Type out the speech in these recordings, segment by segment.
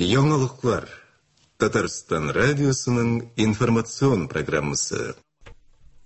Яңалыклар. Татарстан радиосының информацион программасы.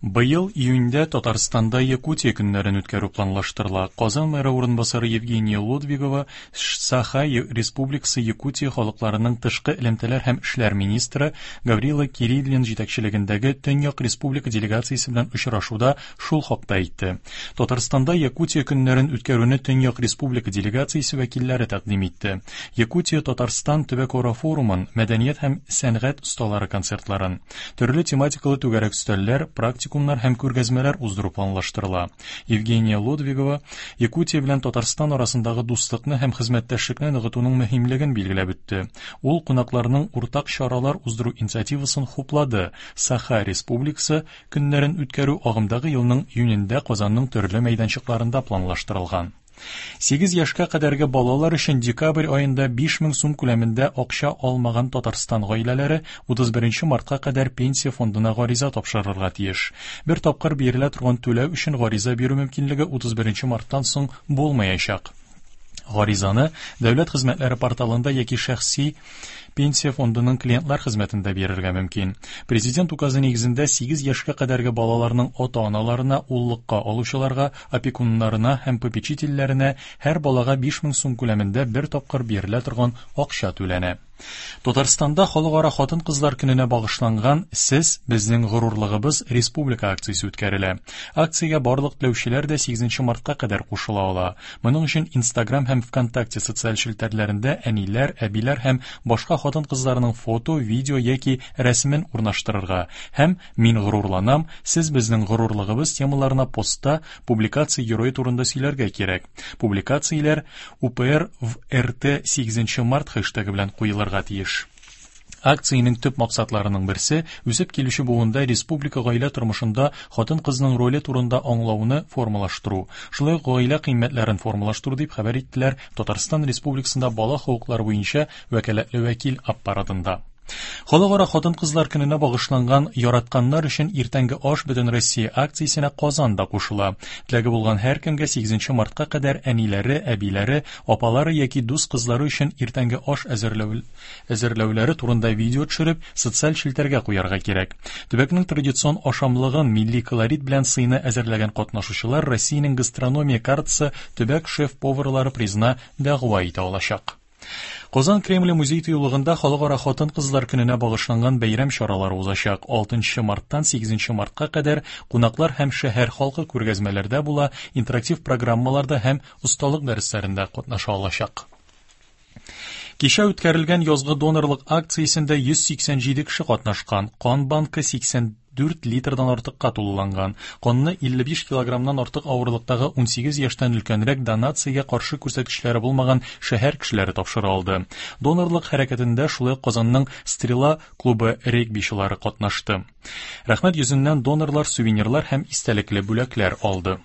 Быел июньдә Татарстанда Якутия көннәрен үткәрү планлаштырыла. Казан мэры урынбасары Евгения Лодвигова Саха Республикасы Якутия халыкларының тышкы элемтәләр һәм эшләр министры Гаврила Кириллин җитәкчелегендәге Төньяк республика делегациясе белән очрашуда шул хакта әйтте. Татарстанда Якутия көннәрен үткәрүне Төньяк республика делегациясе вәкилләре тәкъдим итте. Якутия Татарстан төбәкара форумын, мәдәният һәм сәнгать осталары концертларын, төрле тематикалы түгәрәк өстәлләр, практикумнар һәм күргәзмәләр уздыру планлаштырыла. Евгения Лодвигова Якутия белән Татарстан арасындагы дуслыкны һәм хезмәттәшлекне ныгытуның мөһимлеген билгеләп үтте. Ул кунакларның уртак чаралар уздыру инициативасын хуплады. Саха Республикасы көннәрен үткәрү агымдагы елның июнендә Казанның төрле мәйданчыкларында планлаштырылган. 8 яшькә кадәрге балалар өчен декабрь аенда 5000 сум күләмендә акча алмаган Татарстан гаиләләре 31 мартка кадәр пенсия фондына гариза тапшырырга тиеш. Бер тапкыр бирелә торган түләү өчен гариза бирү мөмкинлеге 31 марттан соң булмаячак. Гаризаны Дәүләт хезмәтләре порталында яки шәхси Пенсия фондының клиентлар хезмәтендә бирергә мөмкин. Президент указы нигезендә 8 яшькә кадәрге балаларның ата-аналарына, уллыкка алучыларга, опекуннарына һәм попечительләренә һәр балага 5000 сум күләмендә бер тапкыр бирелә торган акча түләнә. Татарстанда Халыкара хатын-кызлар көненә багышланган Сез, безнең горурлыгыбыз республика акциясе үткәрелә. Акциягә барлык теләүчеләр дә 8 мартка кадәр кушыла ала. Моның өчен Инстаграм һәм ВКонтакте социаль челтәрләрендә әниләр, әбиләр һәм башка хатын-кызларның фото, видео яки рәсемен урнаштырырга һәм Мин горурланам, сез безнең горурлыгыбыз темаларына постта публикация герое турында сөйләргә кирәк. Публикацияләр УПР в РТ 8 март хэштегы белән куелырга тиеш. Акциянең төп максатларының берсе үсеп килүче буында республика гаилә тормышында хатын-кызның роле турында аңлауны формалаштыру, шулай ук гаилә кыйммәтләрен формалаштыру дип хәбәр иттеләр Татарстан Республикасында бала хокуклары буенча вәкаләтле вәкил аппаратында. Халыкара хатын-кызлар көненә багышланган Яратканнар өчен иртәнге аш Бөтенроссия акциясенә Казан да кушыла. Теләге булган һәркемгә 8 мартка кадәр әниләре, әбиләре, апалары яки дус кызлары өчен иртәнге аш әзерләү әзерләүләре турында видео төшереп, социаль челтәргә куярга кирәк. Төбәкнең традицион ашамлыгын милли колорит белән сыйны әзерләгән катнашучылар Россиянең гастрономия картасы төбәк шеф-поварлары призына дәгъва итә алачак. Казан Кремле музей тыюлыгында Халыкара хатын-кызлар көненә багышланган бәйрәм чаралары узачак. 6 марттан 8 мартка кадәр кунаклар һәм шәһәр халкы күргәзмәләрдә була, интерактив программаларда һәм осталык дәресләрендә катнаша алачак. Кичә үткәрелгән язгы донорлык акциясендә 187 кеше катнашкан. Кан банкы 84 литрдан артыкка тулыланган. Канны 55 килограммнан артык авырлыктагы 18 яшьтән өлкәнрәк донациягә каршы күрсәткечләре булмаган шәһәр кешеләре тапшыра алды. Донорлык хәрәкәтендә шулай ук Казанның Стрела клубы регбичылары катнашты. Рәхмәт йөзеннән донорлар сувенирлар һәм истәлекле бүләкләр алды.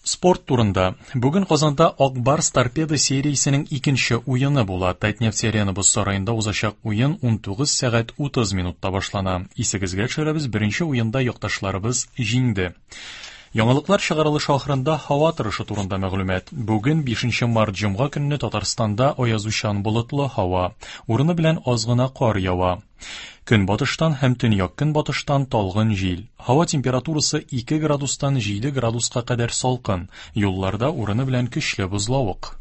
Спорт турында. Бүген Казанда Ак Барс Торпедо сериясенең икенче уены була. Татнефть Арена боз сараенда узачак уен 19 сәгать 30 минутта башлана. Исегезгә төшерәбез, беренче уенда якташларыбыз җиңде. Яңалыклар чыгарылышы ахырында һава торышы турында мәгълүмат. Бүген 5 март җомга көнне Татарстанда аязучан болытлы һава. Урыны белән аз гына кар ява. Көнбатыштан һәм төньяк-көнбатыштан талгын җил. Һава температурасы 2 градустан 7 градуска кадәр салкын. Юлларда урыны белән көчле бозлавык.